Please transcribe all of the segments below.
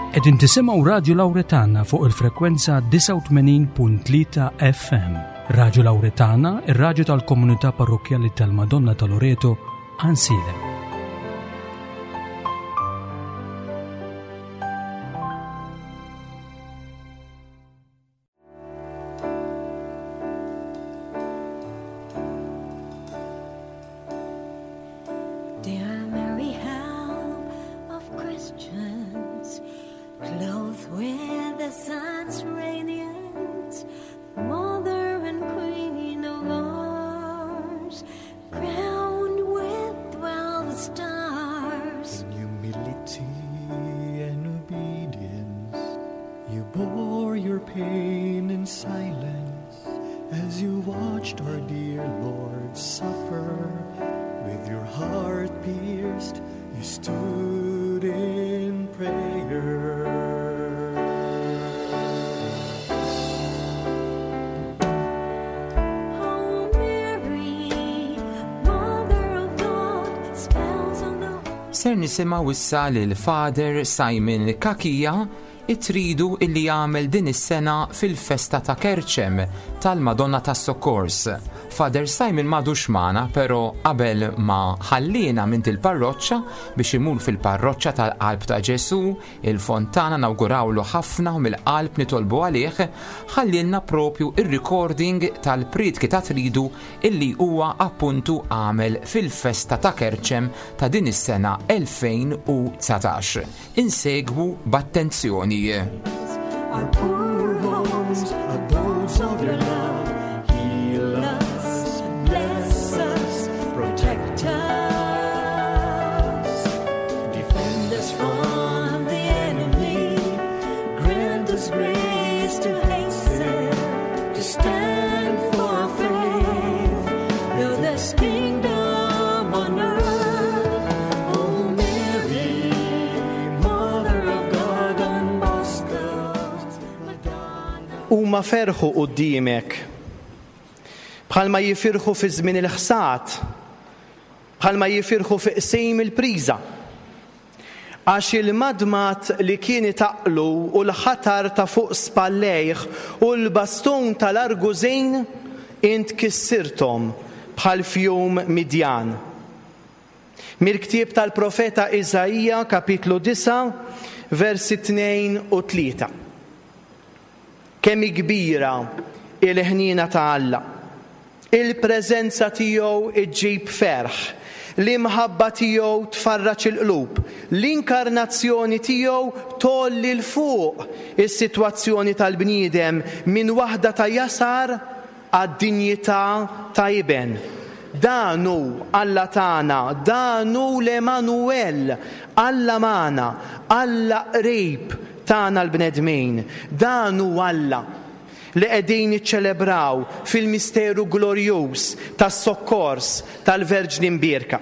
Qegħdin tisimgħu Radju Lawretana fuq il-frekwenza 89.3 FM. Radju Lawretana, ir-radju tal-komunità parrokkjali tal-Madonna ta' Loreto, Għansielem. Dear Mary, help of Christians, clothed with the sun's radiance, Mother and Queen of ours, crowned with 12 stars. In humility and obedience, you bore your pain in silence as you watched our dear Lord suffer. With your heart pierced, you stood in prayer. Oh Mary, Mother of God, spells on the Ser nisimgħu issa lil Father Simon Cachia it-tridu illi jagħmel din is-sena fil-festa ta' Kerċem tal-Madonna tas-Sokkors. Father Simon m'għadux magħna, però qabel ma ħalliena minn il-parroċċa biex imur fil-parroċċa tal-Qalb ta' Ġesù, il-Fontana, nawgurawlu ħafna u mill-qalb nitolbu għalih, ħallielna propju ir-recording tal-prietki ta' tridu illi huwa appuntu għamel fil-festa ta' Kerċem ta' din is-sena 2019. Insegwu b'attenzjoni. Our poor homes, abodes of your love, heal us, bless us, protect us, defend us from the enemy, grant us grace to hasten, to stand for our faith, build this kingdom on earth. O Mary, Mother of God, Don Bosco's Madonna. Huma ferħu quddiemek, bħalma jifirħu fi żmien il-ħsad, bħalma jifirħu fi qsim il-priża. Għax il-madmad li kien itaqqlu u l-ħatar ta' fuq spallejh u l-bastun tal-argużin int kissirthom bħal f'jum Midjan. Mill-ktieb tal-profeta Iżaija, kapitlu 9, versi 2 u 3. Kemm hi kbira il-ħniena ta' Alla! Il-preżenza tiegħu ġġib ferħ, l-imħabba tiegħu tfarraġ il-qlub, l-inkarnazzjoni tiegħu tgħolli 'l fuq is-sitwazzjoni tal-bniedem minn waħda ta' jasar għad-dinjità ta' iben. Dan hu Alla tagħna, dan hu l-Emmanuel, Alla magħna, Alla qrib tagħna l-bnedmin. Dan hu Alla li qegħdin niċċelebraw fil-misteru glorjuż tas-sokkors tal-Verġni Mbierka.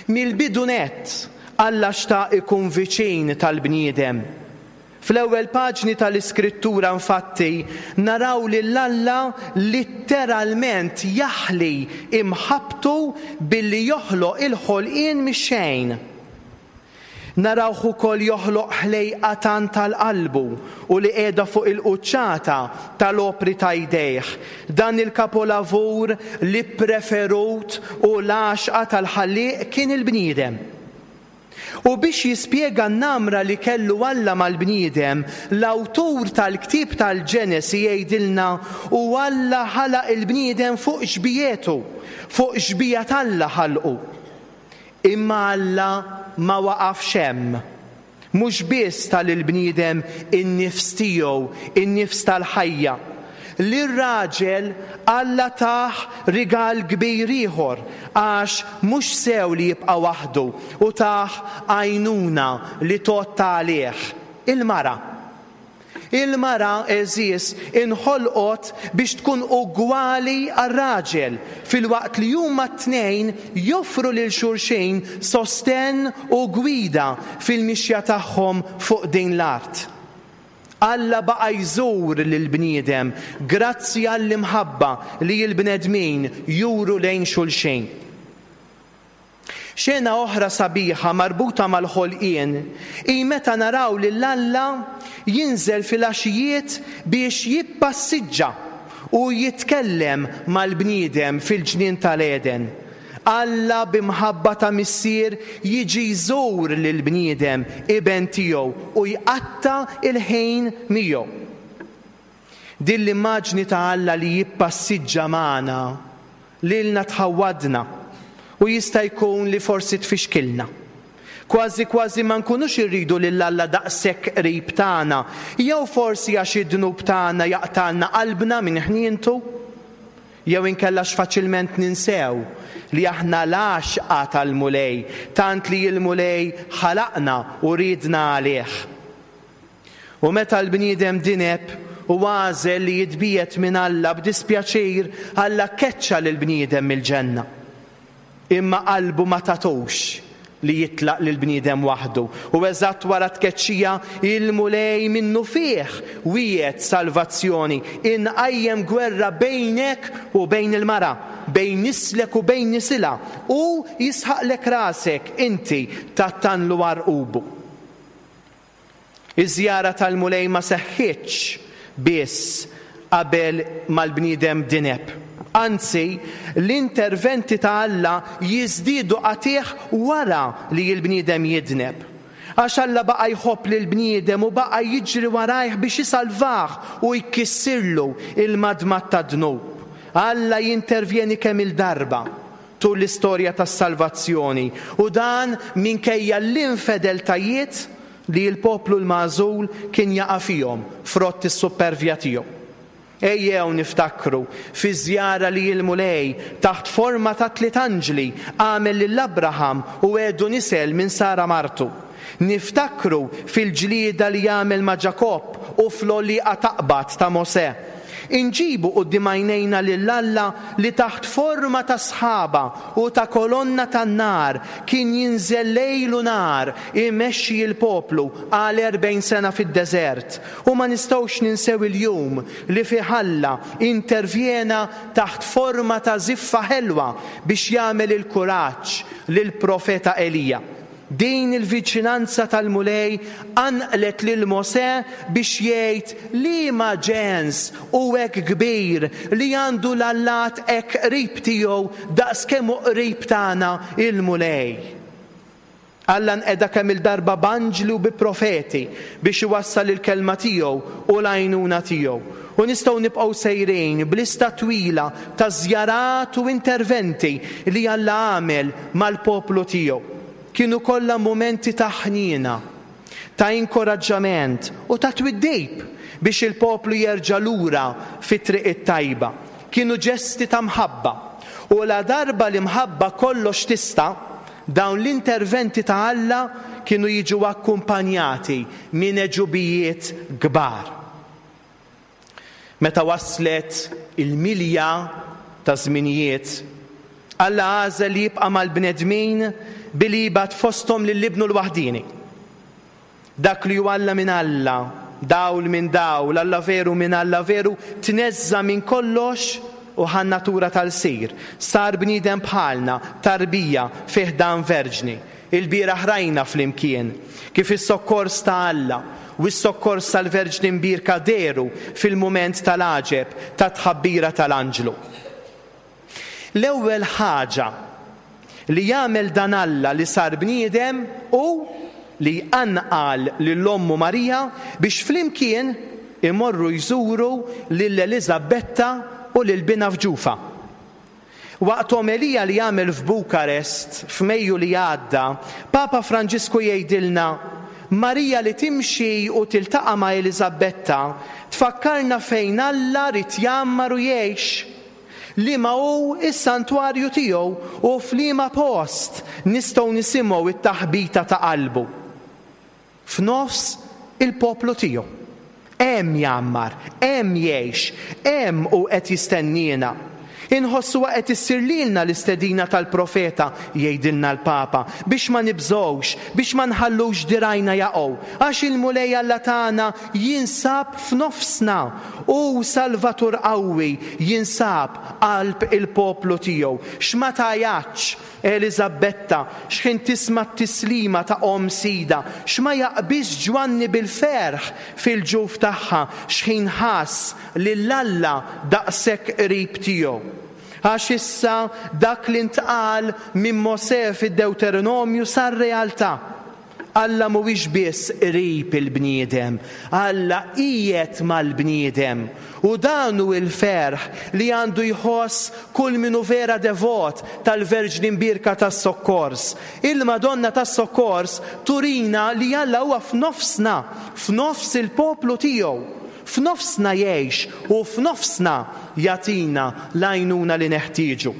Mill-bidu nett, Alla xtaq ikun viċin tal-bniedem. Fl-ewwel paġni tal-Iskrittura, infatti, naraw lil Alla litteralment jaħli imħabbtu billi joħloq il-ħolqien mix-xejn. Narawh ukoll joħloq ħlejqa tant għal qalbu u li qiegħda fuq il-quċċata tal-opri ta' jdejh, dan il-kapolavur li ppreferut u l-għaxqa tal-Ħallieq kien il-bniedem. U biex jispjega n-namra li kellu Alla mal-bniedem, l-awtur tal-ktieb tal-Ġenesi jgħidilna, U Alla ħalaq il-bniedem fuq xbiehetu, fuq xbieha t'Alla ħalqu. Imma Alla ma waqafx hemm. Mhux biss ta lill-bniedem in-nifs tiegħu, in-nifs tal-ħajja. Lir-raġel Alla tah rigal kbir ieħor, għax mhux sew li jibqa' waħdu, u tah għajnuna li tgħodd għalih, il-mara. Il-mara, għeżież, inħolqot biex tkun ugwali għar-raġel, filwaqt li huma t-tnejn joffru lil xulxin sostenn u gwida fil-mixja tagħhom fuq din l-art. Alla baqa' jżur lill-bniedem grazzi għall-imħabba li l-bnedmin juru lejn xulxin. Xena oħra sabiħa marbuta mal-ħolqien hi meta naraw lil Alla jinżel filgħaxijiet biex jippassiġġa u jitkellem mal-bniedem fil-ġnien tal-Għeden. Alla bi mħabba ta' missier jiġi jżur lill-bniedem iben tiegħu u jqatta' l-ħin miegħu. Din l-immaġni ta' Alla li jippassiġġa magħna, lilna tħawwadna u jista' jkun li forsi tfixkilna. Kważi kważi ma nkunux irridu lil Alla daqshekk qrib tagħna, jew forsi għax id-dnub tagħna jaqtgħalna qalbna minn ħnientu, jew inkella għax faċilment ninsew li aħna l-għaxqa tal-Mulej, tant li l-Mulej ħalaqna u riedna għalih. U meta l-bniedem dineb u għażel li jitbiegħed minn Alla b'dispjaċir, Alla keċċa lill-bniedem mill-ġenna. Imma qalbu ma tagħtux li jitlaq lill-bniedem waħdu, u eżatt wara t-tkeċċija, il-Mulej minnufih wiegħed salvazzjoni, Inqajjem gwerra bejnek u bejn il-mara, bejn nislek u bejn nisilha, hu jisħaqlek rasek, inti tgħattanlu għarqubu. Iż-żjara tal-Mulej ma seħħitx biss qabel ma l-bniedem dineb. Anzi, l-interventi ta' Alla jiżdiedu qatigħ wara li l-bniedem jidneb. Għax Alla baqa' jħobb lill-bniedem u baqa' jiġri warajh biex isalvah u jkissirlu l-madmad tad-dnub. Alla jintervjeni kemm-il darba tul l-istorja tas-salvazzjoni, u dan minkejja l-infedeltajiet li l-poplu l-magħżul kien jaqa' fihom frott is-suppervja tiegħu. Ejjew niftakru fiż-żjara li l-Mulej, taħt forma ta' tliet anġli, għamel lil Abraham u wegħdu nisel minn Sara martu. Niftakru fil-ġlieda li għamel ma' Ġakobb u fl-għolieqa taqbad ta' Mosè. Inġibu quddiem għajnejna lil Alla li taħt forma ta' sħaba u ta' kolonna tan-nar kien jinżel lejl u nhar imexxi l-poplu għal 40 sena fid-deżert. U ma nistgħux ninsew il-jum li fih Alla intervjena taħt forma ta' żiffa ħelwa biex jagħmel il-kuraġġ lill-profeta Elija. Din il-viċinanza tal-Mulej qanqlet lil Mosè biex jgħid, Liema ġens hu hekk kbir li għandu l-allat hekk qrib tiegħu daqs kemm hu qrib tagħna il-Mulej? Alla nqeda kemm-il darba b'anġli u bi profeti biex iwassal il-kelma tiegħu u l-għajnuna tiegħu. U nistgħu nibqgħu sejrin b'lista twila ta' żjarat u interventi li Alla għamel mal-poplu tiegħu. Kienu kollha mumenti ta' ħniena, ta' inkoraġġament u ta' twiddib biex il-poplu jerġa' lura fit-triq it-tajba. Kienu ġesti ta' mħabba. U ladarba l-imħabba kollox tista', dawn l-interventi ta' Alla kienu jiġu akkumpanjati minn għeġubijiet kbar. Meta waslet il-milja taż-żminijiet, Alla għażel li jibqa' mal-bnedmin billi jibgħat fosthom lil Ibnu l-waħdieni. Dak li hu Alla minn Alla, dawl minn dawl, Alla veru minn Alla veru, tneżża' minn kollox u ħa n-natura ta' lsir, sar bniedem bħalna, tarbija fi ħdan verġni. Ilbieraħ rajna flimkien kif is-sokkors ta' Alla u s-sokkors tal-Verġni Mbierka dehru fil-mument tal-għaġeb tat-tħabbira tal-anġlu. L-ewwel ħaġa li jagħmel dan Alla li sar bniedem hu li jqanqal lil ommu Marija biex flimkien imorru jżuru lil Eliżabetta u lil binha f'ġufha. Waqt omelija li għamel f'Bukarest f'Mejju li għadda, Papa Franġisku jgħidilna, Marija li timxi u tiltaqa' ma' Eliżabetta tfakkarna fejn Alla ried jgħammar u jgħix, liema hu s-santwarju tiegħu u f'liema post nistgħu nisimgħu t-taħbita ta' qalbu. F'nofs il-poplu tiegħu. Hemm jgħammar, hemm jgħix, hemm hu qed jistenniena. Inħossuha qed issir lilna l-istedina tal-profeta, jgħidilna l-Papa, biex ma nibżgħux, biex ma nħallux dirgħajna jaqgħu, għax il-Mulej Alla tagħna jinsab f'nofsna, hu Salvatur qawwi jinsab qalb il-poplu tiegħu. X'ma tgħajjatx! Eliżabetta x'ħin tisma' t-tislima ta' omm Sidha, x'ma jaqbiżx Ġwanni bil-ferħ fil-ġuf tagħha x'ħin ħass lil Alla daqshekk qrib tiegħu. Għax issa dak li ntqal minn Mosè fid-Dewteronomju sar realtà. Alla mhuwiex biss qrib il-bniedem, Alla qiegħed mal-bniedem. U dan hu l-ferħ li għandu jħoss kull min hu vera devot tal-Verġni Mbierka tas-Sokkors. Il-Madonna tas-Sokkors turina li Alla huwa f'nofsna, f'nofs il-poplu tiegħu. F'nofsna jgħix u f'nofsna jagħtina l-għajnuna li neħtieġu.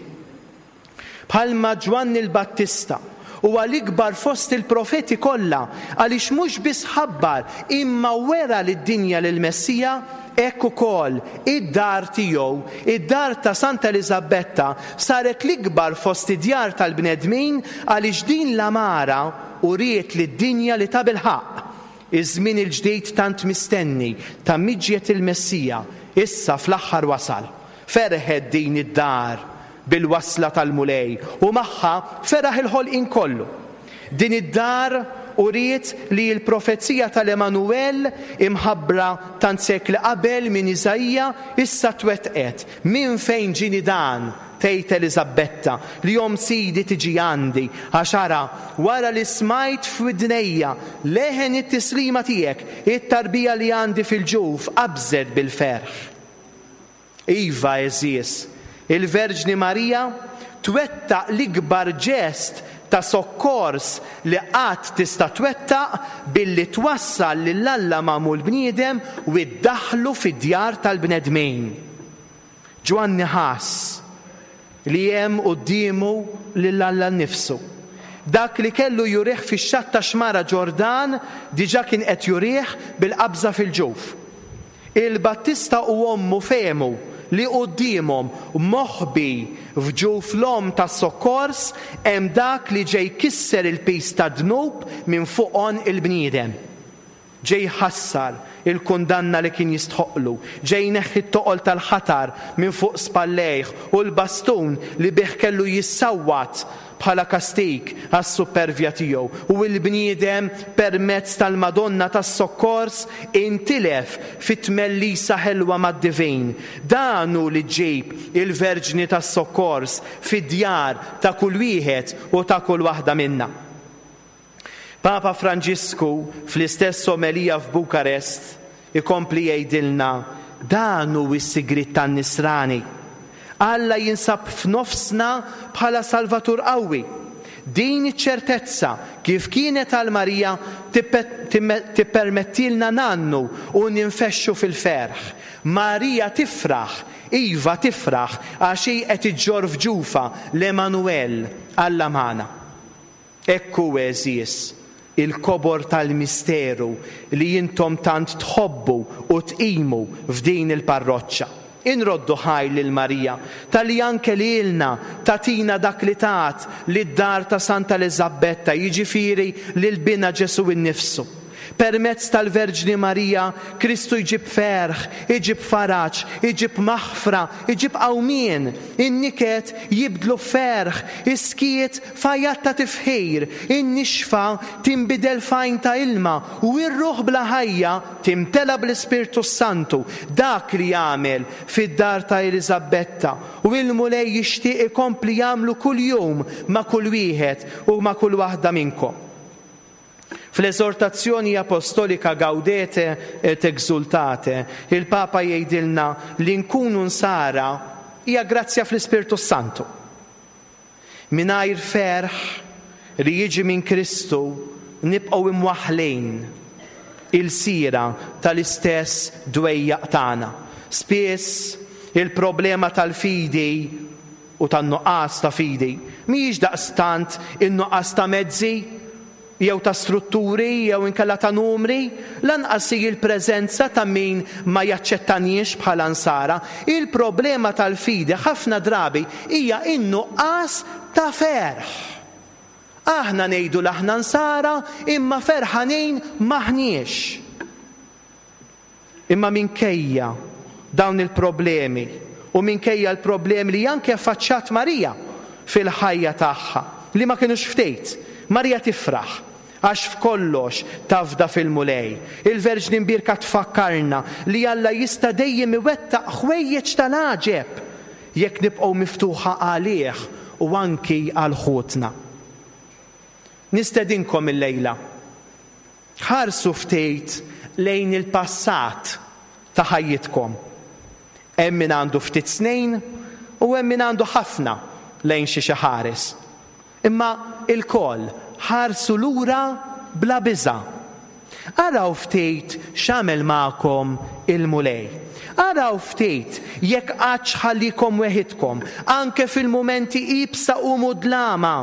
Bħalma Ġwanni l-Battista huwa l-ikbar fost il-profeti kollha għaliex mhux biss ħabbar imma wera lid-dinja lill-Messija, hekk ukoll id-dar tiegħu, id-dar ta' Santa Eliżabetta, saret l-ikbar fost id-djar tal-bnedmin għaliex din l-għamara uriet lid-dinja li tabilħaqq iż-żmien il-ġdid tant mistenni ta' miġjet il-Messija issa fl-aħħar wasal. Ferħet din id-dar bil-wasla tal-Mulej u magħha feraħ il-ħolqien kollu. Din id-dar uriet li l-profezija tal-Emmanuel imħabbra tant sekli qabel minn Iżaija issa twettqet. Minn fejn ġieni dan? tgħid Eliżabetta, li omm Sidi tiġi għandi, għax ara, wara li smajt f'widnejja leħen it-tislima tiegħek, it-tarbija li għandi fil-ġuf qabżet bil-ferħ. Iva, għeżież, il-Verġni Marija twettaq l-ikbar ġest ta' sokkors li qatt tista' twettaq billi twassal lil Alla magħmul bniedem u ddaħħlu fid-djar tal-bnedmin. Ġwanni ħass li hemm quddiemu lil Alla nnifsu. Dak li kellu jurih fix-xatt tax-xmara Ġordan diġà kien qed jurih bil-qabża fil-ġuf. Il-Battista u ommu fehmu li quddiemhom, moħbi f'ġuf l-omm tas-sokkors, hemm dak li ġej jkisser il-piż tad-dnub minn fuq għonq il-bniedem. Ġej jħassar il-kundanna li kien jistħoqqlu, ġej jneħħi t-toqol tal-ħatar minn fuq spallejh u l-bastun li bih kellu jissawwat bħala kastig għas-suppervja tiegħu, u l-bniedem permezz tal-Madonna tas-Sokkors intilef fi tmellisa ħelwa mad-Divin. Dan hu li ġġib il-Verġni tas-Sokkors fid-djar ta' kull wieħed u ta' kull waħda minna. Papa Franġisku fl-istess omelija f'Bukarest ikompli jgħidilna dan hu s-sigriet tan-Nisrani. Alla jinsab f'nofsna bħala Salvatur qawwi. Din iċ-ċertezza, kif kienet għal Marija, tippermettilna ngħannu u ninfexxu fil-ferħ. Marija tifraħ, iva tifraħ, għax hi qed iġġorr f'ġufha l-Emmanuel, Alla magħna. Hekk hu, għeżież, il-kobor tal-misteru li intom tant tħobbu u tqimu f'din il-parroċċa. Inroddu ħajr lil Marija talli anke lilna tagħtina dak li tat lid-dar ta' Santa Eliżabbetta, jiġifieri lil Binha Ġesù innifsu. Permezz tal-Verġni Marija, Kristu jġib ferħ, iġib faraġ, iġib maħfra, iġib qawmien. In-niket jibdlu f'ferħ, is-skiet f'għajat ta' tifħir, in-nixfa tinbidel f'għajn ta' ilma, u r-ruħ bla ħajja timtela bl-Ispirtu s-Santu. Dak li għamel fid-dar ta' Eliżabbetta, u l-Mulej jixtieq ikompli jagħmlu kuljum ma' kull wieħed u ma' kull waħda minnkom. Fl-eżortazzjoni apostolika Gaudete et Exultate, il-Papa jgħidilna li nkunu nsara hija grazzja fl-Ispirtu s-Santu. Mingħajr ferħ li jiġi minn Kristu nibqgħu imwaħħlin ilsira tal-istess dwejjaq tagħna. Spiss il-problema tal-fidi u tan-nuqqas ta' fidi mhijiex daqstant in-nuqqas ta' mezzi jew ta' strutturi jew inkella ta' numri, lanqas hi l-preżenza ta' min ma jaċċettaniex bħala Nsara. Il-problema tal-fidi ħafna drabi hija n-nuqqas ta' ferħ. Aħna ngħidu li aħna Nsara imma ferħanin m'aħniex. Imma minkejja dawn il-problemi u minkejja l-problemi li anke affaċċjat Marija. fil-ħajja tagħha, li ma kinux ftit, Marija tifraħ għax f'kollox tafda fil-Mulej. Il-Verġni Mbierka tfakkarna li Alla jista' dejjem iwettaq ħwejjeġ tal-għaġeb jekk nibqgħu miftuħa għalih u anki għal ħutna. Nistedinkom illejla. Ħarsu ftit lejn il-passat ta' ħajjitkom. Hemm min għandu ftit snin u hemm min għandu ħafna lejn xiex iħares. Imma ilkoll ħarsu lura bla biża'. Araw ftit x'għamel magħkom il-Mulej. Araw ftit jekk qattx ħallikom weħidkom, anke fil-mumenti iebsa u mudlama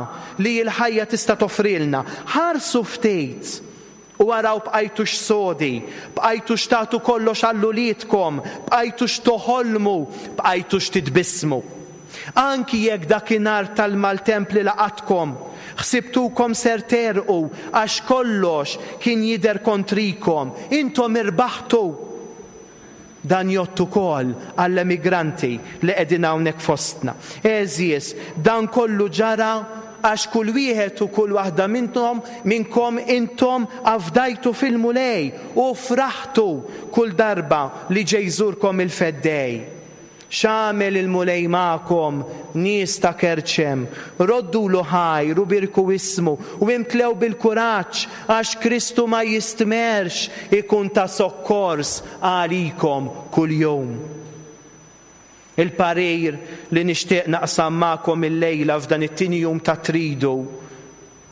li l-ħajja tista' toffrilna. Ħarsu ftit u araw bqajtux sodi, bqajtux tagħtu kollox għal uliedkom, bqajtux toħolmu, bqajtux titbissmu. Anki jekk dakinhar tal-maltemp li laqatkom, ħsibtukom ser tegħrqu għax kollox kien jidher kontrikom, intom irbaħtu! Dan jgħodd ukoll għall-emigranti li qegħdin hawnhekk fostna. Għeżież, dan kollu ġara għax kull wieħed u kull waħda minnhom minnkom intom afdajtu fil-Mulej u fraħtu kull darba li ġej jżurkom il-Feddej. X'għamel il-Mulej magħkom, nies ta' Kerċem? Roddulu ħajr u bierku ismu, u imtlew bil-kuraġġ, għax Kristu ma jistmerrx ikun ta' sokkors għalikom kuljum. Il-parir li nixtieq naqsam magħkom illejla f'dan it-tieni jum tat-Tridu,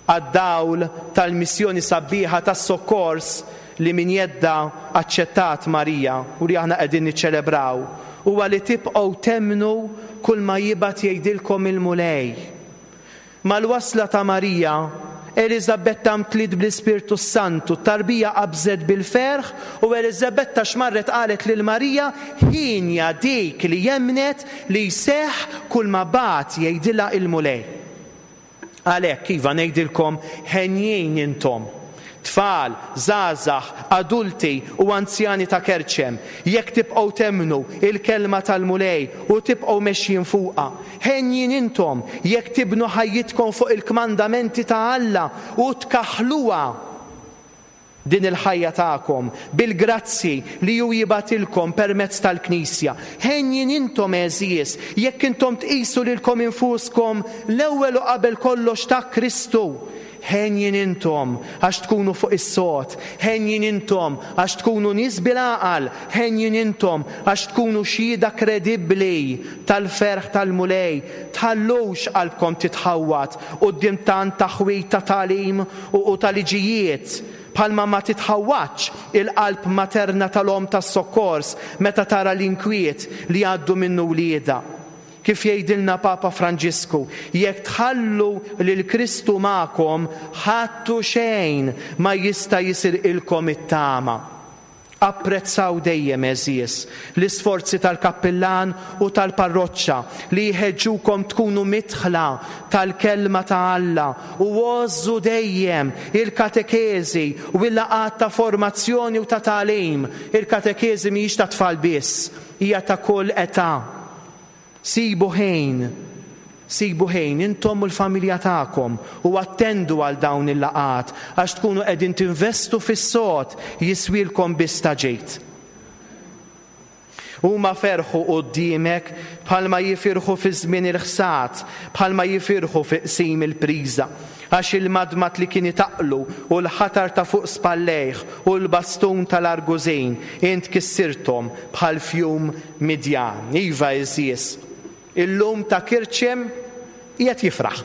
għad-dawl tal-missjoni sabiħa tas-sokkors li minn jeddha aċċettat Marija u li aħna qegħdin niċċelebraw, huwa li tibqgħu temmnu kull ma jibgħat jgħidilkom il-Mulej. Mal-wasla ta' Marija, Eliżabetta mtliet bl-Ispirtu s-Santu, t-tarbija qabżet bil-ferħ u Eliżabetta x'marret qalet lil Marija, Hienja dik li emmnet li jseħħ kull ma bagħat jgħidilha il-Mulej. Għalhekk, iva, ngħidilkom, henjin intom, tfal, żgħażagħ, adulti u anzjani ta' Kerċem, jekk tibqgħu temmnu l-kelma tal-Mulej u tibqgħu mexjin fuqha. Henjin intom jekk tibnu ħajjitkom fuq il-kmandamenti ta' Alla u tkaħħluha din il-ħajja tagħkom bil-grazzji li hu jibgħatilkom permezz tal-Knisja. Henjin intom, għeżież, jekk intom tqisu lilkom infuskom l-ewwel u qabel kollox ta' Kristu. Henjin intom għax tkunu fuq is-sod, henjin intom għax tkunu nies bil-għaqal, henjin intom għax tkunu xhieda kredibbli tal-ferħ tal-Mulej. Tħallux qalbkom titħawwad quddiem tant taħwid ta' tagħlim u ta' liġijiet, bħalma ma titħawwadx il-qalb materna tal-omm tas-sokkors meta tara l-inkwiet li jgħaddu minnu wliedha. Kif jgħidilna Papa Franġisku, jekk tħallu lil Kristu magħkom, ħadd u xejn ma jista' jisirqilkom it-tama. Apprezzaw dejjem, għeżież, l-isforzi tal-kappillan u tal-parroċċa li jħeġġukom tkunu midħla tal-Kelma ta' Alla u għożżu dejjem il-katekeżi u l-laqgħat ta' formazzjoni u ta' tagħlim. Il-katekeżi mhijiex tat-tfal biss, hija ta' kull età. Sibu ħin, sibu ħin intom u l-familja tagħkom u attendu għal dawn il-laqgħat għax tkunu qegħdin tinvestu fis-sod jiswielkom biss ta' ġid. Huma ferħu quddiemek bħalma jifirħu fi żmien il-ħsad, bħalma jifirħu fi qsim il-priża. Għax il-madmad li kien itaqqlu u l-ħatar ta' fuq spallejh u l-bastun tal-argużin int kissirthom bħal f'jum Midjan. Iva, għeżież, illum ta' Kirċem qiegħed jifraħ.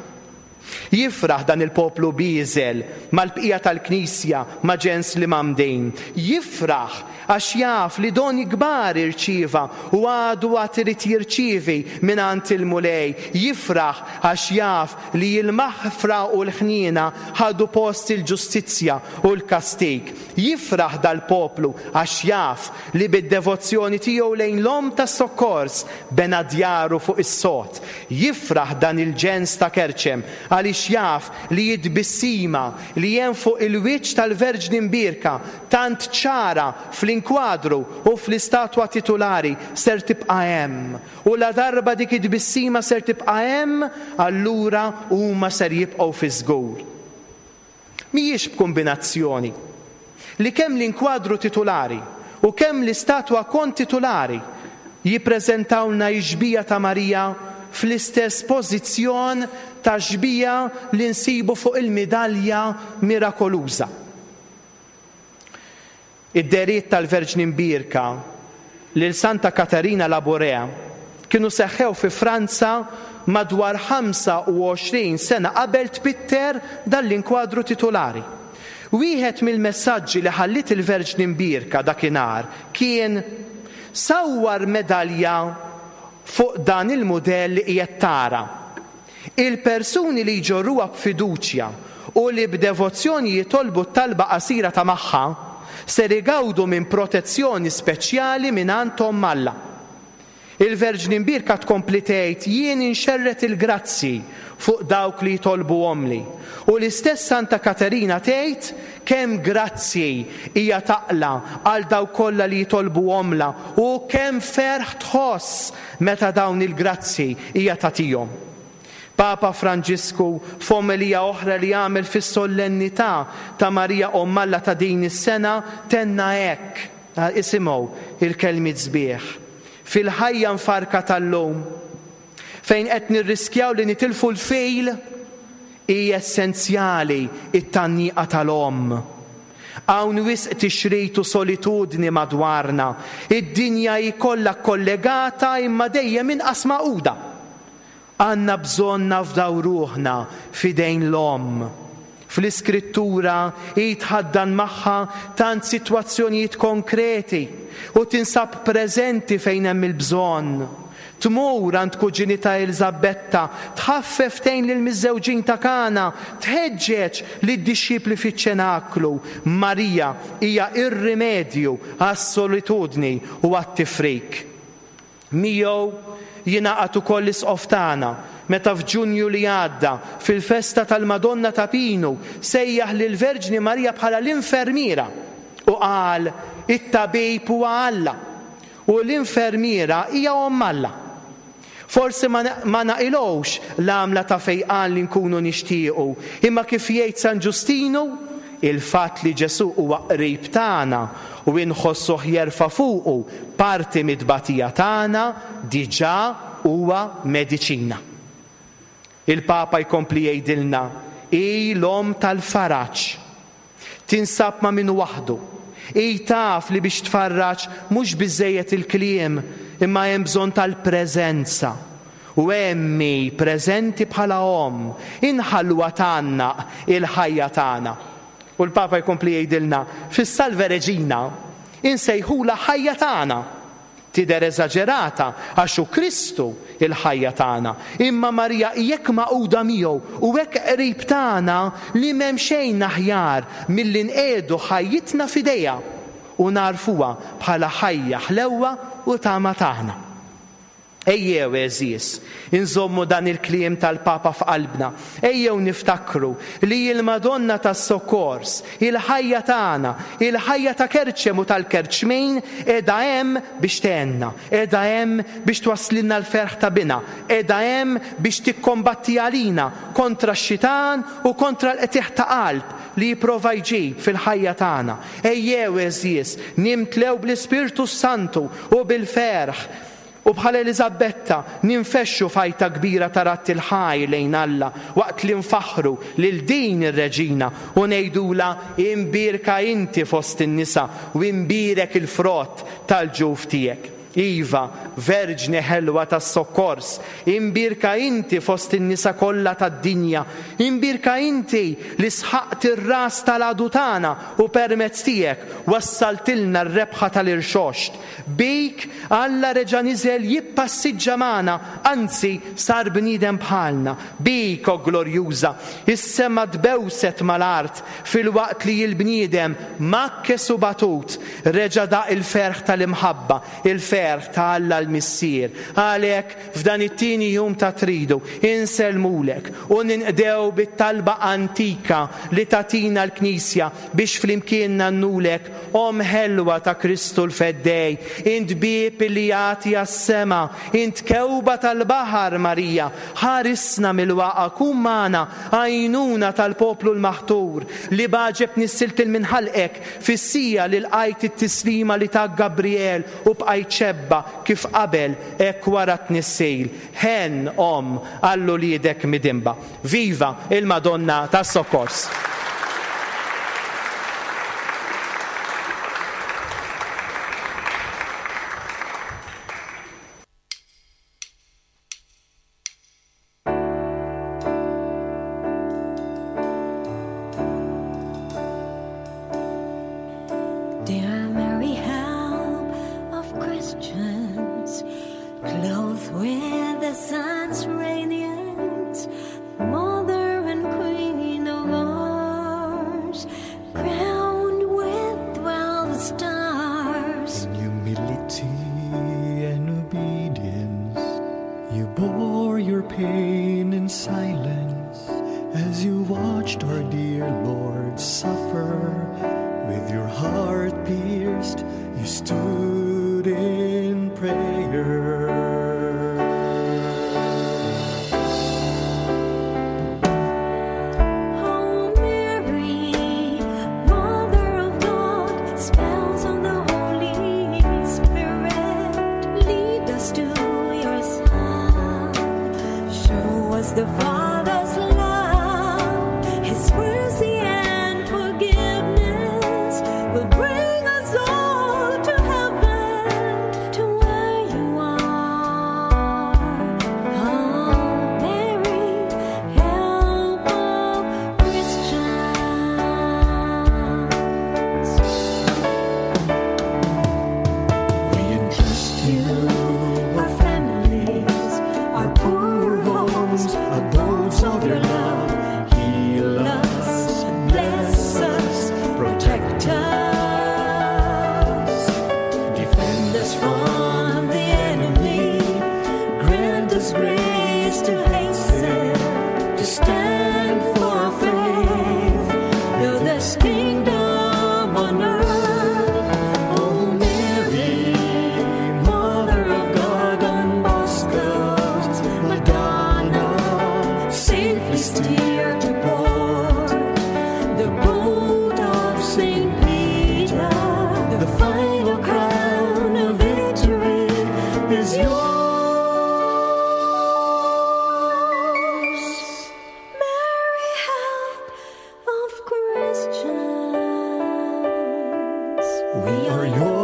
Jifraħ dan il-poplu bieżel mal-bqija tal-Knisja ma' ġens l-imgħammdin. Jifraħ għax jaf li doni kbar irċieva u għadu għad irid jirċievi mingħand il-Mulej. Jifraħ għax jaf li l-maħfra u l-ħniena ħadu post il-ġustizzja u l-kastig. Jifraħ dal-poplu għax jaf li bid-devozzjoni tiegħu lejn l-Omm tas-Sokkors bena djaru fuq is-sod. Jifraħ dan il-ġens ta' Kerċem għaliex. Għaliex jaf li t-tbissima li hemm fuq il-wiċċ tal-Verġni Mbierka, tant ċara fl-inkwadru u fl-istatwa titulari, ser tibqa' hemm. U ladarba dik it-tbissima ser tibqa' hemm, allura huma ser jibqgħu fiż-żgur. Mhijiex b'kumbinazzjoni li kemm l-inkwadru titulari u kemm l-istatwa kontitulari jippreżentawlna x-xbieha ta' Marija fl-istess pożizzjon tax-xbieha li nsibu fuq il-midalja mirakoluża. Id-dehriet tal-Verġni Mbierka lil Santa Katarina Labouré kienu seħħew fi Franza madwar 25 sena qabel tpitter dan l-inkwadru titulari. Wieħed mill-messaġġi li ħalliet il-Verġni Mbierka dakinhar kien, Sawwar medalja fuq dan il-mudell li qiegħed tara. Il-persuni li jġorruha b'fiduċja u li b'devozzjoni jitolbu t-talba qasira ta' magħha ser igawdu minn protezzjoni speċjali mingħand Omm Alla. Il-Verġni Mbierka tkompli tgħid, Jien inxerred il-grazzji fuq dawk li jitolbuhomli. U l-istess Santa Katerina tgħid kemm grazzji hija taqla' għal dawk kollha li jitolbuhomlha u kemm ferħ tħoss meta dawn il-grazzji hija tagħtihom. Papa Franġisku f'omelija oħra li għamel fis-sollennità ta' Marija Omm Alla ta' din is-sena tenna hekk, isimgħu il-kelmiet sbieħ, Fil-ħajja mfarrka tal-lum, fejn qed nirriskjaw li nitilfu l-fil, hi essenzjali t-tgħanniqa tal-omm. Hawn wisq tixrid u solitudni madwarna. Id-dinja hi kollha kkollegata imma dejjem inqas magħquda. Għandna bżonn nafdaw ruħna f'idejn l-Omm. Fl-Iskrittura hi tħaddan magħha tant sitwazzjonijiet konkreti u tinsab preżenti fejn hemm il-bżonn. Tmur għand kuġinitha Eliżabetta, tħaffef tgħin lill-miżżewġin ta' Kana, tħeġġeġ lid-dixxipli fiċ-ċenaklu. Marija hija r-rimedju għas-solitudni u għat-tifrik. Miegħu jingħaqad ukoll l-Isqof tagħna meta f'Ġunju li għadda, fil-festa tal-Madonna ta' Pinu, sejjaħ lill-Verġni Marija bħala l-infermiera u qal, It-tabib huwa Alla. U l-infermiera hija Omm Alla. Forsi ma ma naqilgħux l-għamla ta' fejqan li nkunu nixtiequ, imma kif jgħid San Ġustinu, il-fatt li Ġesù huwa qrib tagħna u inħossuh jerfa' fuqu parti mit-tbatija tagħna diġà huwa mediċina. Il-Papa jkompli jgħidilna, Hi l-Omm tal-faraġ. Tinsab ma' min hu waħdu. Hi taf li biex tfarraġ mhux biżżejjed il-kliem imma hemm bżonn tal-preżenza. U hemm hi preżenti bħala omm. Inħalluha tgħannaq il-ħajja tagħna. U l-Papa jkompli jgħidilna, fis-Salve Regina insejħulha ħajja tagħna. Tidher eżaġerata għax hu Kristu l-ħajja tagħna, imma Marija hi hekk magħquda miegħu u hekk qrib tagħna li m'hemm xejn aħjar milli nqiegħdu ħajjitna f'idejha u nagħrfuha bħala ħajja, ħlewwa u tama tagħna. Ejjew, għeżież, inżommu dan il-kliem tal-Papa f'qalbna. Ejjew niftakru li l-Madonna tas-Sokkors, il-ħajja tagħna, il-ħajja ta' Kerċem u tal-Kerċmin qiegħda hemm biex tgħinna, qiegħda hemm biex twasslilna l-ferħ ta' Binha, qiegħda hemm biex tikkombatti għalina kontra x-xitan u kontra l-qtigħ ta' qalb li jipprova jġib fil-ħajja tagħna. Ejjew, għeżież, nimtlew bl-Ispirtu s-Santu u bil-ferħ U bħal Eliżabetta, ninfexxu f'għajta kbira ta' radd il-ħajr lejn Alla waqt li nfaħħru lil din ir-Reġina u ngħidulha, Imbierka inti fost in-nisa u imbierek il-frott tal-ġuf tiegħek. Iva, Verġni ħelwa tas-Sokkors, imbierka inti fost in-nisa kollha tad-dinja, imbierka inti li sħaqt ir-ras tal-għadu tagħna u permezz tiegħek wassaltilna r-rebħa tal-irxoxt. Bik, Alla reġa' niżel jippassiġġa magħna, anzi, sar bniedem bħalna. Bik, o glorjuża, is-sema tbewset mal-art, filwaqt li l-bniedem, mgħakkes u batut, reġa' daq il-ferħ tal-imħabba, il-ferħ. il-ferħ ta' Alla l-Missier. Għalhekk, f'dan it-tieni jum ta' Tridu, insellmulek u ninqdew bit-talba antika li tagħtina l-Knisja biex flimkien ngħannulek, Omm ħelwa ta' Kristu l-Feddej, int bieb li jagħti għas-sema, int kewba tal-baħar, Marija, ħarisna mill-waqgħa, kun magħna, għajnuna tal-poplu l-maħtur, li b'għaġeb nissilt 'il minn ħalqek fis-siegħa li lqajt it-tislima li tak Gabriel u bqajt xebba kif qabel hekk wara t-tnissil. Ħenn, Omm, għal uliedek midinba. Viva il-Madonna tas-Sokkors! Dear Mary, help of Christians, clothed with the sun's radiance, mother and queen of ours, crowned with 12 stars. In humility and obedience, you bore your pain in silence as you watched our dear Lord suffer. With your heart pierced, you stood in prayer. Oh Mary, Mother of God, spouse of the Holy Spirit, lead us to your Son. Show us the Father's love, His mercy and forgiveness will bring us all to heaven, to where you are. Oh Mary, help of Christians. We entrust you Our families, our poor homes, abodes of your love. Heal us, bless us, protect us. Defend us from the enemy. Grant us grace to hasten, to stand for our faith. Build this kingdom on earth. O Mary, Mother of God, Don Bosco's Madonna, Safely steer to port the boat of Saint Peter. the final crown of victory is yours. Mary, help of Christians. We are yours.